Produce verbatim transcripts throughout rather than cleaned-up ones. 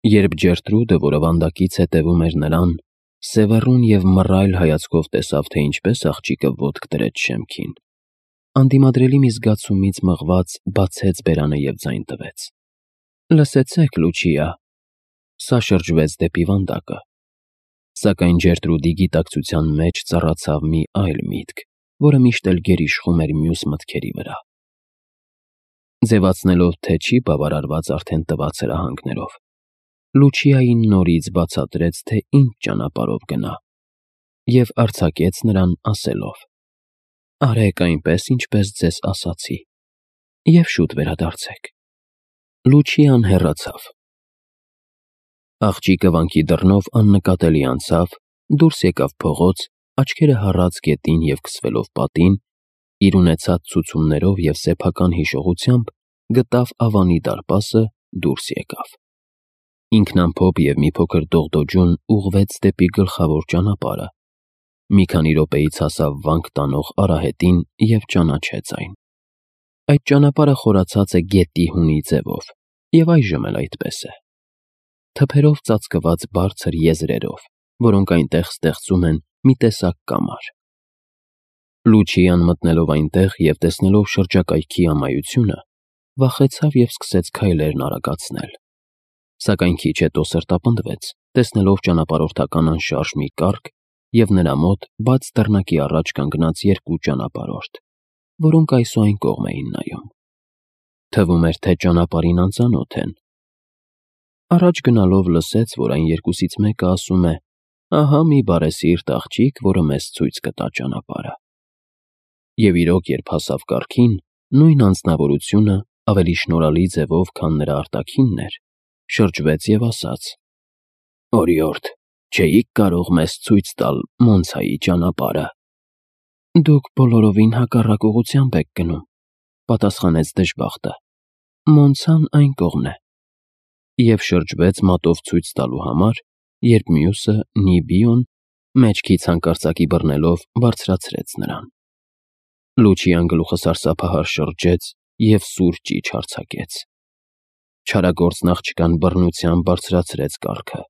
Երբ Ջերտրուդը, որը վանդակից հետևում էր նրան, սևեռուն և մռայլ հայացքով տեսավ, թե ինչպես աղջիկը ոտք դրեց շեմքին, անդիմադրելի մի զգացումից մղված բացեց բերանը և ձայն տվեց. «Լսեցե՛ք, Լուչիա»։ Սա շրջվեց դեպի վանդակը։ Սակայն Ջերտրուդի գիտակցության մեջ ծառացավ մի այլ միտք, որը միշտ էլ գերիշխում էր մյուս մտքերի վրա։ Ձևացնելով, թե չի բավարարված արդեն տված հրահանգներով, Լուչիային նորից բացատրեց, թե ինչ ճանապարհով գնա, և արձակեց նրան ասելով. «Արեք այնպես, ինչպես ձեզ ասացի, և շուտ վերադարձեք»։ Լուչիան հեռացավ։ Աղջիկը վանքի դռնով աննկատելի անցավ, դուրս եկավ փողոց, աչքերը հառած գետին և քսվելով պատին, իր ունեցած ցուցումներով և սեփական հիշողությամբ գտավ Ավանի դարպասը, դուրս եկավ։ Ինքնամփոփ և մի փոքր դողդոջուն ուղղվեց դեպի գլխավոր ճանապարհը։ Մի քանի րոպեից հասավ վանք տանող արահետին և ճանաչեց այն։ Այդ ճանապարհը խորացած է գետի հունի ձևով, և այժմ էլ այդպես է։ Թփերով ծածկված բարձր եզրերով, որոնք այնտեղ ստեղծում են մի տեսակ կամար։ Լուչիան մտնելով այնտեղ և տեսնելով շրջակայքի ամայությունը, վախեցավ և սկսեց քայլերն արագացնել։ Սակայն քիչ հետո սրտապնդվեց, տեսնելով ճանապարհորդական անշարժ մի կառք և նրա մոտ բաց դռնակի առաջ կանգնած երկու ճանապարհորդ, որոնք այս ու այն կողմ էին նայում։ Թվում էր, թե ճանապարհին անծանոթ են։ Առաջ գնալով լսեց, որ այն երկուսից մեկը ասում է. «Ահա մի բարեսիրտ աղջիկ, որը մեզ ցույց կտա ճանապարհը»։ Եվ իրոք, երբ հասավ կառքին, նույն անձնավորությունը, ավելի շնորհալի ձևով, քան նրա արտաքինն էր, շրջվեց և ասաց. «Օրիորդ, չէի՞ք կարող մեզ ցույց տալ Մոնցայի ճանապարհը»։ «Դուք բոլորովին հակառակ ուղղությամբ եք գնում», պատասխանեց դժբախտը։ «Մոնցան այն կողմն է»։ Եվ շրջվեց մատով ցույց տալու համար, երբ մյուսը՝ Նիբիոն, մեջքից հանկարծակի բռնելով, բարձրացրեց նրան։ Լուչիան գլուխը սարսափահար շրջեց և սուր ճիչ արձակեց։ Չարագործն աղջկան բռնությամբ բարձրացրեց կառքը։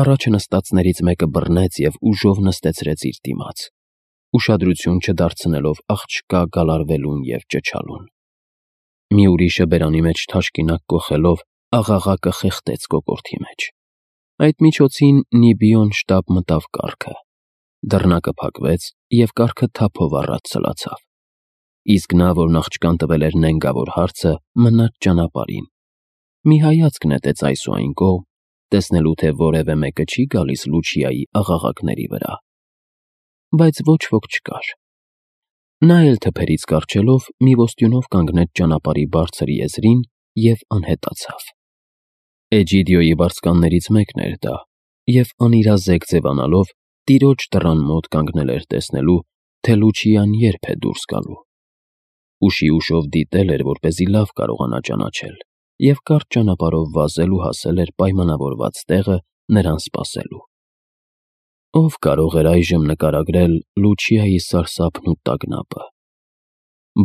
Առաջը նստածներից մեկը բռնեց և ուժով նստեցրեց իր դիմաց, ուշադրություն չդարձնելով աղջկա գալարվելուն և ճչալուն։ Մի ուրիշը բերանի մեջ թաշկինակ կոխելով աղաղակը խեղդեց կոկորդի մեջ։ Այդ միջոցին Նիբիոն շտապ մտավ կառքը։ Դռնակը փակվեց, և կառքը թափով առաջ սլացավ։ Իսկ նա, որն աղջկան տվել էր նենգավոր հարցը, մնաց ճանապարհին։ Մի հայացք նետեց այս ու այն կողմ, տեսնելու, թե որևէ մեկը չի գալիս Լուչիայի աղաղակների վրա։ Բայց ոչ ոք չկար։ Նա էլ թփերից կառչելով, մի ոստյունով կանգնեց ճանապարհի բարձր եզրին և անհետացավ։ Էջիդիոյի վարձկաններից մեկն էր դա, և անիրազեկ ձևանալով, տիրոջ դռան մոտ կանգնել էր տեսնելու, թե Լուչիան երբ է դուրս գալու։ Ուշի ուշով դիտել էր, որպեսզի լավ կարողանա ճանաչել, և կարճ ճանապարհով վազել ու հասել էր պայմանավորված տեղը նրան սպասելու։ Ո՞վ կարող էր այժմ նկարագրել Լուչիայի սարսափն ու տագնապը,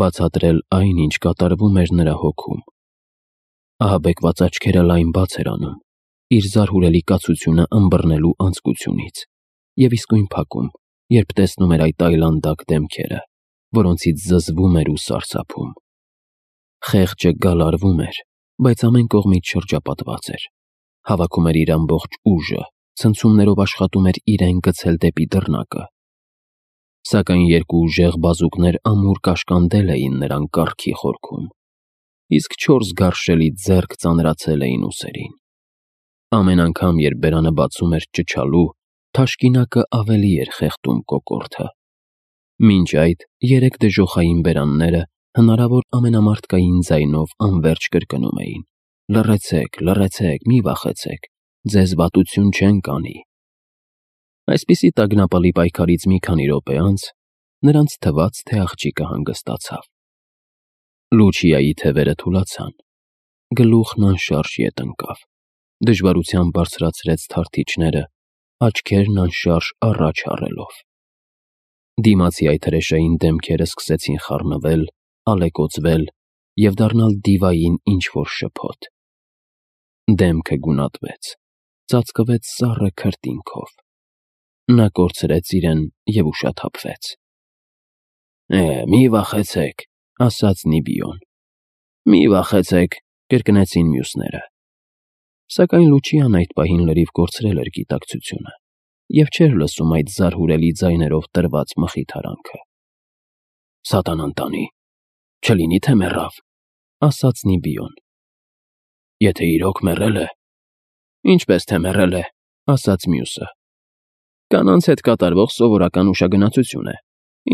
բացատրել այն, ինչ կատարվում էր նրա հոգում։ Ահաբեկված աչքերը լայն բաց էր անում, իր զարհուրելի կացությունը ըմբռնելու անձկությունից, և իսկույն փակում, երբ տեսնում էր այդ այլանդակ դեմքերը, որոնցից զզվում էր ու սարսափում։ Խեղճը գալարվում էր, բայց ամեն կողմից շրջապատված էր, հավաքում էր իր ամբողջ ուժը, ցնցումներով աշխատում էր իրեն գցել դեպի դռնակը։ Սակայն երկու ուժեղ բազուկներ ամուր կաշկանդել էին նրան կառքի խորքում, իսկ չորս գարշելի ձեռք ծանրացել էին ուսերին։ Ամեն անգամ, երբ բերանը բացում էր ճչալու, թաշկինակը ավելի էր խեղդում կոկորդը։ Մինչ այդ երեք դժոխային բերանները հնարավոր ամենամարդկային ձայնով անվերջ կրկնում էին. «Լռեցեք, լռեցեք, մի վախեցեք, ձեզ վատություն չեն կանի»։ Այսպիսի տագնապալի պայքարից մի քանի րոպե անց նրանց թվաց, թե աղջիկը հանգստացավ։ Լուչիայի թևերը թուլացան, գլուխն անշարժ ետ ընկավ, դժվարությամբ բարձրացրեց թարթիչները, աչքերն անշարժ առաջ հառելով։ Դիմացի այդ հրեշային դեմքերը սկսեցին խառնվել, ալեկոծվել և դառնալ դիվային ինչ֊որ շփոթ։ Դեմքը գունատվեց, ծածկվեց սառը քրտինքով։ Նա կորցրեց իրեն և ուշաթափվեց։ «Է, մի վախեցեք», ասաց Նիբիոն։ «Մի վախեցեք», կրկնեցին մյուսները։ Սակայն Լուչիան այդ պահին լրիվ կորցրել էր գիտակցությունը և չէր լսում այդ զարհուրելի ձայներով տրված մխիթարանքը։ «Սատանան տանի, չլինի թե մեռավ», ասաց Նիբիոն։ «Եթե իրոք մեռել է»։ «Ինչպես թե մեռել է», ասաց մյուսը։ «Կանանց հետ կատարվող սովորական ուշագնացություն է,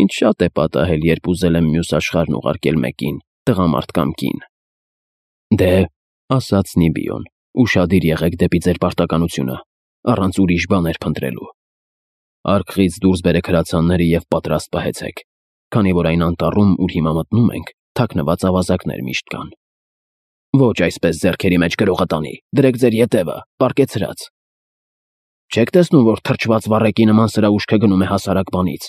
ինձ շատ է պատահել, երբ ուզել եմ մյուս աշխարհն ուղարկել մեկին, տղամարդ կամ կին»։ «Դե», ասաց Նիբիոն, «ուշադիր եղեք դեպի ձեր պարտականությունը, առանց ուրիշ բաներ փնտրելու։ Արքղից դուրս բերեք հրացանները և պատրաստ պահեցեք, քանի որ այն անտառում, ուր հիմա մտնում ենք, թաքնված ավազակներ միշտ կան։ Ոչ այսպես ձեռքերի մեջ գրողը տանի, դրեք ձեր ետևը, պառկեցրած։ Չեք տեսնում, որ թրջված վառեկի նման սրա ուշքը գնում է հասարակ բանից։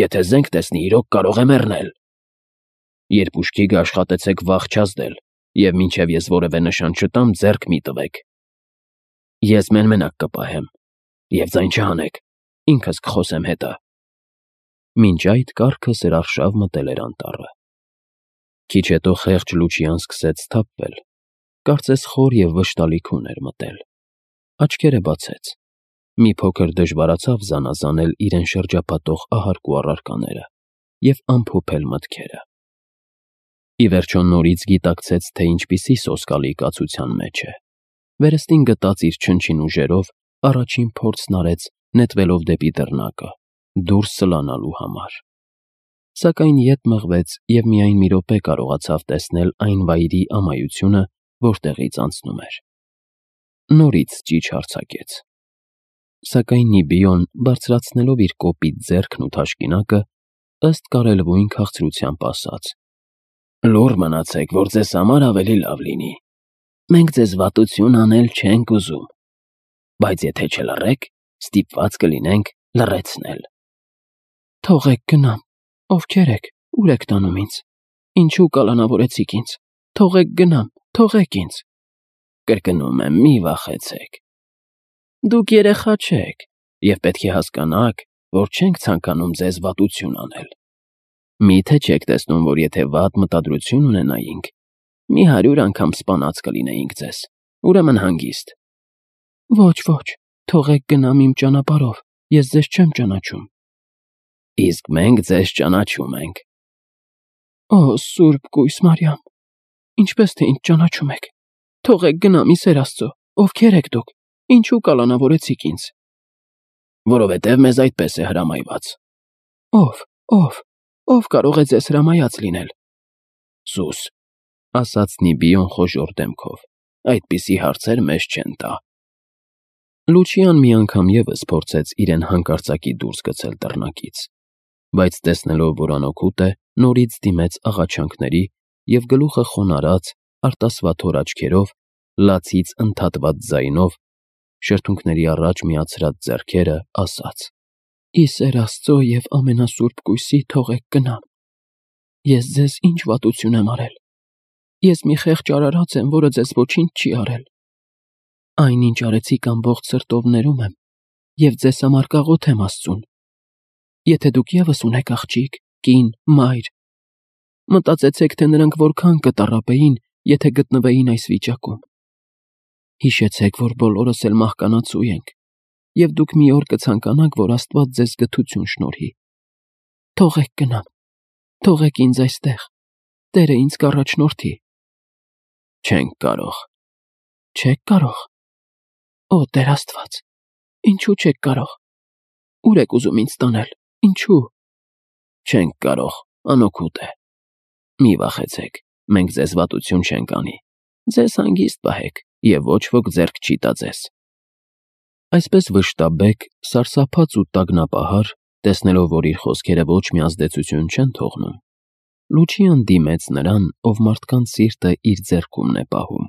Եթե զենք տեսնի, իրոք կարող է մեռնել։ Երբ ուշքի գա, աշխատեցեք վախ չազդել, և մինչև ես որևէ նշան չտամ, ձեռք մի տվեք։ Ես մեն-մենակ կպահեմ, և ձայն չհանեք, ինքս կխոսեմ հետը»։ Մինչ այդ կառքը սրարշավ մտել էր անտառը։ Քիչ հետո խեղճ Լուչիան սկսեց սթափվել, կարծես խոր և վշտալի քուն էր մտել։ Աչքերը բացեց։ Մի փոքր դժվարացավ զանազանել իրեն շրջապատող ահարկու առարկաները և ամփոփել մտքերը։ Ի վերջո նորից գիտակցեց, թե ինչպիսի սոսկալի կացության մեջ է։ Վերստին գտած իր չնչին ուժերով առաջին փորձն արեց նետվելով դեպի դռնակը, դուրս սլանալու համար։ Սակայն ետ մղվեց և միայն մի րոպե կարողացավ տեսնել այն վայրի ամայությունը, որտեղից անցնում էր։ Նորից ճիչ հարձակեց։ Սակայն Նիբիոն, բարձրացնելով իր կոպիտ ձեռքն ու թաշկինակը, ըստ կարելույն քաղցրությամբ ասաց. «Լուռ մնացեք, որ ձեզ համար ավելի լավ լինի։ Մենք ձեզ վատություն անել չենք ուզում, բայց եթե չլռեք, ստիպված կլինենք լռեցնել»։ «Թողեք գնամ, ովքեր եք, ուր եք տանում ինձ, ինչու կալանավորեցիք ինձ, թողեք գնամ, թողեք ինձ։ Կրկնում եմ, մի վախեցեք։ Դուք երեխա չեք և պետք է հասկանաք, որ չենք ցանկանում ձեզ վատություն անել։ Մի՞թե չեք տեսնում, որ եթե վատ մտադրություն ունենայինք, մի հարյուր անգամ սպանած կլինեինք ձեզ, ուրեմն հանգիստ»։ «Ոչ, ոչ, թողեք գնամ իմ ճանապարհով, ես ձեզ չեմ ճանաչում»։ «Իսկ մենք ձեզ ճանաչում ենք»։ «Օ, Սուրբ Կույս Մարիամ, ինչպես թե ինձ ճանաչում եք։ Թողեք գնամ, ի սեր Աստծո, ովքեր եք դուք, ինչու կալանավորեցիք ինձ»։ «Որովհետև մեզ այդպես է հրամայված»։ «Ո՞վ, ո՞վ, ո՞վ կարող է ձեզ հրամայած լինել»։ «Սուս», ասաց Նիբիոն խոժոռ դեմքով, «այդպիսի հարցեր մեզ չեն տա»։ Լուչիան մի անգամ ևս փորձեց իրեն հանկարծակի դուրս գցել դռնակից, բայց տեսնելով, որ անօգուտ է, նորից դիմեց աղաչանքների և գլուխը խոնարհած, արտասվաթոր աչքերով, լացից ընդհատված ձայնով, շրթունքների առաջ միացրած ձեռքերը, ասաց. «Ի սեր Աստծո և ամենասուրբ Կույսի, թողեք գնամ։ Ես ձեզ ինչ վատություն եմ արել։ Ես մի խեղճ արարած եմ, որը ձեզ ոչինչ չի արել։ Այն, ինչ արեցիք, ամբողջ սրտով ներում եմ և ձեզ համար կաղոթ եմ Աստծուն։ Եթե դուք ևս ունեք աղջիկ, կին, մայր, մտածեցեք, թե նրանք որքան կտառապեին, եթե գտնվեին այս վիճակում։ Հիշեցեք, որ բոլորս էլ մահկանացու ենք, և դուք մի օր կցանկանաք, որ Աստված ձեզ գթություն շնորհի։ Թողեք գնամ, թողեք ինձ այստեղ, Տերը ինձ կառաջնորդի»։ «Չենք կարող»։ «Չեք կարող։ Օ, Տեր Աստված, ինչու չեք կարող։ Ո՞ւր եք ուզում ինձ տանել, ինչու»։ «Չենք կարող, անօգուտ է։ Մի վախեցեք, մենք ձեզ վատություն չենք անի, ձեզ հանգիստ պահեք, և ոչ ոք ձեռք չի տա ձեզ»։ Այսպես վշտաբեկ, սարսափած ու տագնապահար, տեսնելով, որ իր խոսքերը ոչ մի ազդեցություն չեն թողնում, Լուչիան դիմեց նրան, ով մարդկանց սիրտը իր ձեռքումն է պահում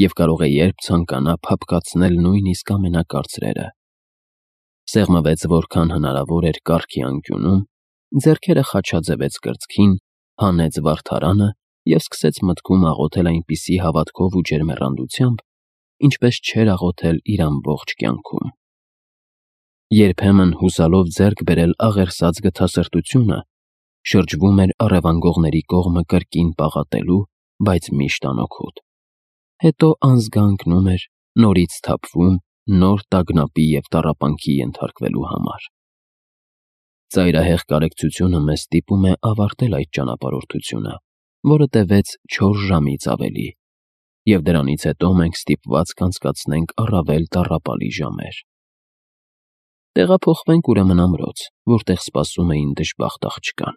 և կարող է երբ ցանկանա փափկացնել նույնիսկ ամենակարծրերը։ Սեղմվեց որքան հնարավոր էր կառքի անկյունում, ձեռքերը խաչաձևեց կրծքին, հանեց վարդարանը և սկսեց մտքում աղոթել այնպիսի հավատքով ու ջերմեռանդությամբ, ինչպես չէր աղոթել իր ամբողջ կյանքում։ Երբեմն հուսալով ձեռք բերել աղերսած գթասրտությունը, շրջվում էր առևանգողների կողմը կրկին պաղատելու, բայց միշտ անօգուտ։ Հետո անզգա ընկնում էր, նորից սթափվում նոր տագնապի և տառապանքի ենթարկվելու համար։ Ծայրահեղ կարեկցությունը մեզ ստիպում է ավարտել այդ ճանապարհորդությունը, որը տևեց չորս ժամից ավելի, և դրանից հետո մենք ստիպված կանցկացնենք առավել տառապալի ժամեր։ Տեղափոխվենք ուրեմն ամրոց, որտեղ սպասում էին դժբախտ աղջկան։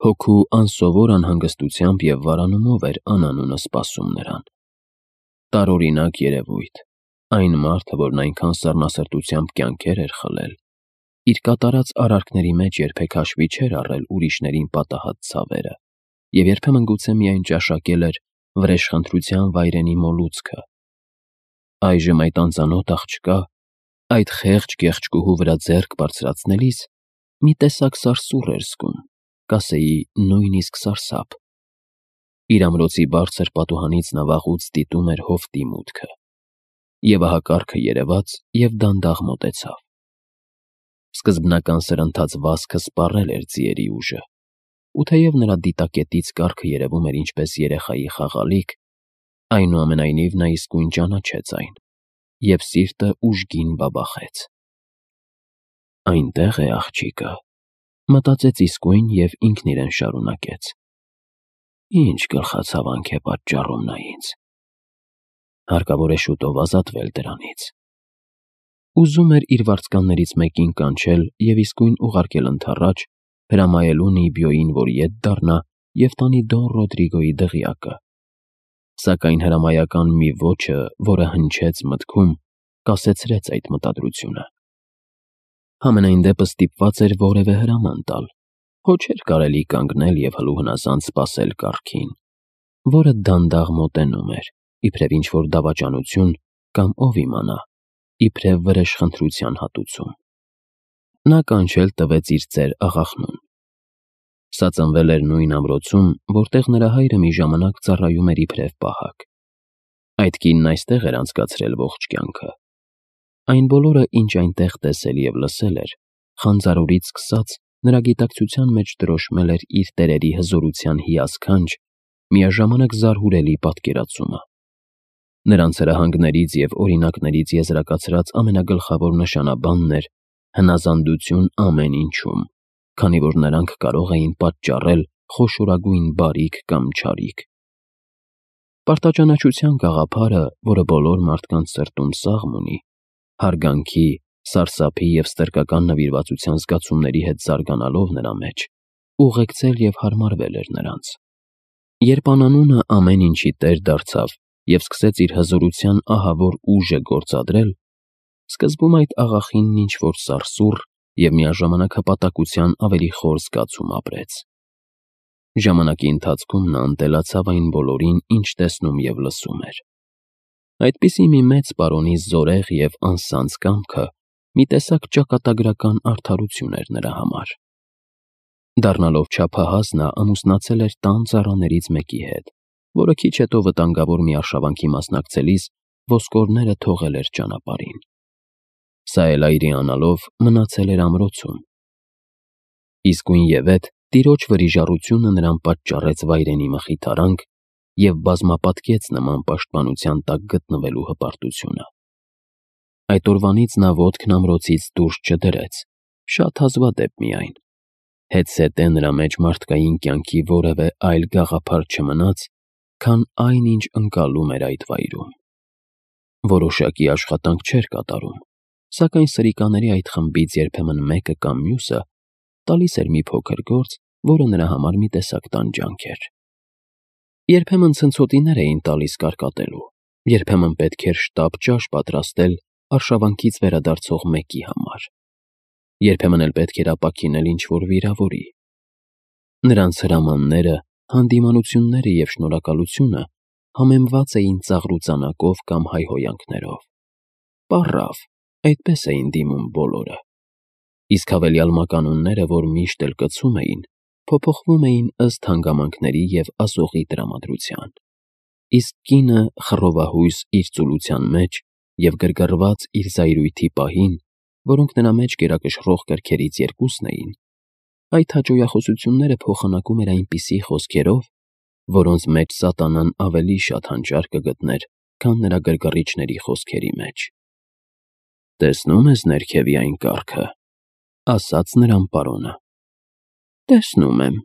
Հոգու անսովոր անհանգստությամբ և վարանումով էր անանունը սպասում նրան։ Տարօրինակ երևույթ, այն մարդը, որն այնքան սառնասրտությամբ կյանքեր էր խլել, իր կատարած արարքների մեջ երբեք հաշվի չէր առել ուրիշներին պատահած ցավերը և երբեմն գուցե միայն ճաշակել էր վրեժխնդրության վայրենի մոլուցքը։ Այժմ այդ անծանոթ աղջկա, այդ խեղճ գեղեցկուհու վրա ձեռք բարձրացնելիս մի տեսակ սարսուռ էր զգում, կասեի նույնիսկ սարսափ։ Իր ամրոցի բարձր պատուհանից նա վաղուց դիտում էր հովտի մուտքը։ Եվ ահա կառքը երևաց և դանդաղ մոտեցավ։ Սկզբնական սրընթաց վազքը սպառել էր ձիերի ուժը, ու թեև նրա դիտակետից կառքը երևում էր ինչպես երեխայի խաղալիք, այնուամենայնիվ նա իսկույն ճանաչեց այն, և սիրտը ուժգին բաբախեց։ «Այնտեղ է աղջիկը», մտածեց իսկույն և ինքն իրեն շարունակեց. «Ինչ գլխացավանք է պատճառում նա ինձ։ Հարկավոր է շուտով ազատվել դրանից»։ Ուզում էր իր վարձկաններից մեկին կանչել և իսկույն ուղարկել ընդառաջ, հրամայելու Նիբիոյին, որ ետ դառնա և տանի Դոն Ռոդրիգոյի դղյակը, սակայն հրամայական մի ոճը, որը հնչեց մտքում, կասեցրեց այդ մտադրությունը։ Համենայն դեպս ստիպված էր որևէ հրաման տալ, հո չէր կարելի կանգնել և հլուհնազանդ սպասել կառքին, որը դանդաղ մոտենում էր, իբրև ինչ-որ դավաճանություն կամ ով իմանա, իբրև վրեժխնդրության հատուցում։ Նա կանչել տվեց իր ծեր աղախնուն։ Սա ծնվել էր նույն ամրոցում, որտեղ նրա հայրը մի ժամանակ ծառայում էր իբրև պահակ։ Այդ կինն այստեղ էր անցկացրել ողջ կյանքը։ Այն բոլորը, ինչ այնտեղ տեսել և լսել էր, խանձարորից սկսած, նրա գիտակցության մեջ դրոշմել էր իր տերերի հզորության հիասքանչ, միաժամանակ զարհուրելի պատկերացումը։ Նրանց հրահանգներից և օրինակներից եզրակացրած ամենագլխավոր նշանաբանն էր հնազանդություն ամեն ինչում, քանի որ նրանք կարող էին պատճառել խոշորագույն բարիք կամ չարիք։ Պարտաճանաչության գաղափարը, որը բոլոր մարդկանց սրտում սաղմ ունի, հարգանքի, սարսափի և ստրկական նվիրվածության զգացումների հետ զարգանալով նրա մեջ, ուղեկցել և հարմարվել էր նրանց։ Երբ անանունը ամեն ինչի տեր դարձավ և սկսեց իր հզորության ահավոր ուժը գործադրել, սկզբում այդ աղախինն ինչ-որ սարսուռ և միաժամանակ հպատակության ավելի խոր զգացում ապրեց։ Ժամանակի ընթացքում նա ընտելացավ այն բոլորին, ինչ տեսնում և լսում էր։ Այդպիսի մի մեծ պարոնի զորեղ և անսանձ կամքը մի տեսակ ճակատագրական արդարություն էր նրա համար։ Դառնալով չափահաս, նա ամուսնացել էր տան ծառաներից մեկի հետ, որը քիչ հետո վտանգավոր մի արշավանքի մասնակցելիս ոսկորները թողել էր ճանապարհին։ Սա էլ այրի անալով մնացել էր ամրոցում։ Իսկույնևեթ տիրոջ վրիժառությունը նրան պատճառեց վայրենի մխիթարանք և բազմապատկեց նման պաշտպանության տակ գտնվելու հպարտությունը։ Այդ օրվանից նա ոտքն ամրոցից դուրս չդրեց, շատ հազվադեպ միայն։ Հետզհետե նրա մեջ մարդկային կյանքի որևէ այլ գաղափար չմնաց, քան այն, ինչ ընկալում էր այդ վայրում։ Որոշակի աշխատանք չէր կատարում, սակայն սրիկաների այդ խմբից երբեմն մեկը կամ մյուսը տալիս էր մի փոքր գործ, որը նրա համար մի տեսակ տանջանք էր։ Երբեմն ցնցոտիներ էին տալիս կարկատելու, երբեմն պետք էր շտապ ճաշ պատրաստել արշավանքից վերադարձող մեկի համար, երբեմն էլ պետք էր ապաքինել ինչ-որ վիրավորի։ Նրանց հրամանները, հանդիմանությունները և շնորհակալությունը համեմված էին ծաղրուծանակով կամ հայհոյանքներով։ Պառավ, այդպես էին դիմում բոլորը։ Իսկ հավելյալ մականունները, որ միշտ էլ կցում էին, փոփոխվում էին ըստ հանգամանքների և ասողի տրամադրության, իսկ կինը խռովահույս իր ծուլության մեջ և գրգռված իր զայրույթի պահին, որոնք նրա մեջ գերակշռող կրքերից երկուսն էին, այդ հաճոյախոսությունները փոխանակում էր այնպիսի խոսքերով, որոնց մեջ սատանան ավելի շատ հանճար կգտներ, քան նրա գրգռիչների խոսքերի մեջ։ «Տեսնո՞ւմ ես ներքևի այն կառքը,- ասաց նրան պարոնը։ «Տեսնում եմ,-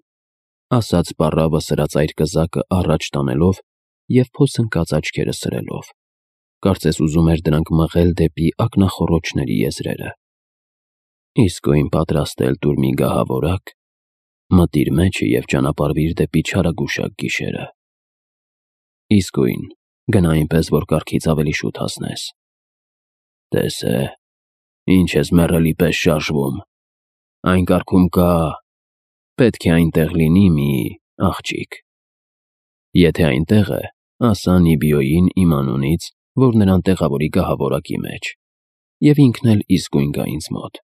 ասաց պառավը սրածայր կզակը առաջ տանելով և փոս ընկած աչքերը սրելով, կարծես ուզում էր դրանք մղել դեպի ակնախոռոչների եզրերը։ Իսկույն պատրաստել տուր մի գահավորակ, մտիր մեջը և ճանապարհվիր դեպի չարագուշակ գիշերը։ Իսկույն գնա այնպես, որ կառքից ավելի շուտ հասնես։ Տես է, ինչ ես մեռելի պես շարժվում, այն կառքում կա, պետք է այնտեղ լինի մի աղջիկ։ Եթե այնտեղ է, ասա Նիբիոյին իմ անունից, որ նրան տեղավորի գահավորակի մեջ, և ինքն էլ իսկույն գա ինձ մոտ։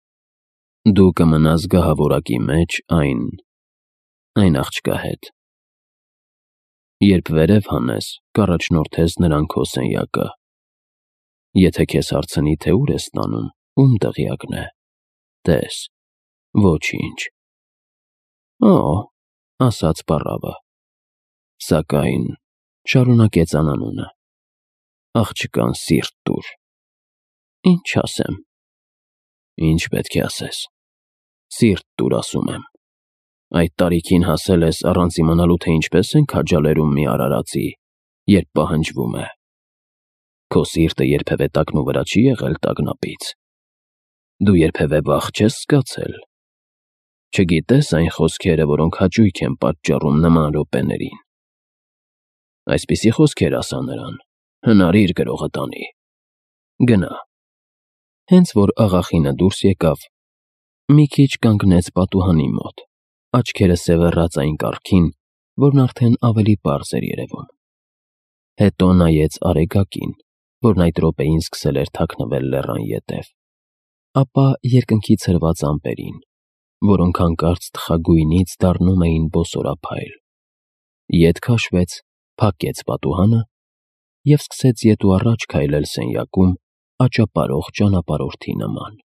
Դու կմնաս գահավորակի մեջ այն… այն աղջկա հետ։ Երբ վերև հանես, կառաջնորդես նրան քո սենյակը։ Եթե քեզ հարցնի, թե ուր ես տանում, ում դղյակն է, տես, ոչինչ»։ «Օ՜», ասաց պառավը, «սակայն,- շարունակեց անանունը,- աղջկան սիրտ տուր»։ «Ինչ ասեմ»։ «Ինչ պետք է ասես։ Սիրտ տուր, ասում եմ։ Այդ տարիքին հասել ես առանց իմանալու, թե ինչպես են քաջալերում մի արարածի, երբ պահանջվում է։ Քո սիրտը երբևէ տակնուվրա չի եղել տագնապից։ Դու երբևէ վախ չես զգացել։ Չգիտե՞ս այն խոսքերը, որոնք հաճույք են պատճառում նման րոպեներին։ Այսպիսի խոսքեր ասա նրան, հնարիր գրողը տանի։ Գնա»։ Հենց որ աղախինը դուրս եկավ, մի քիչ կանգնեց պատուհանի մոտ, աչքերը սևեռած այն կառքին, որն արդեն ավելի պարզ էր երևում։ Հետո նայեց Արեգակին, որն այդ րոպեին սկսել էր թաքնվել լեռան ետև, ապա երկնքից հրված ամպերին, որոնք հանկարծ թխագույնից դառնում էին բոսորափայլ, ետ քաշվեց, փակեց պատուհանը և սկսեց ետ ու առաջ քայլել սենյակում աճապարող ճանապարհորդի նման։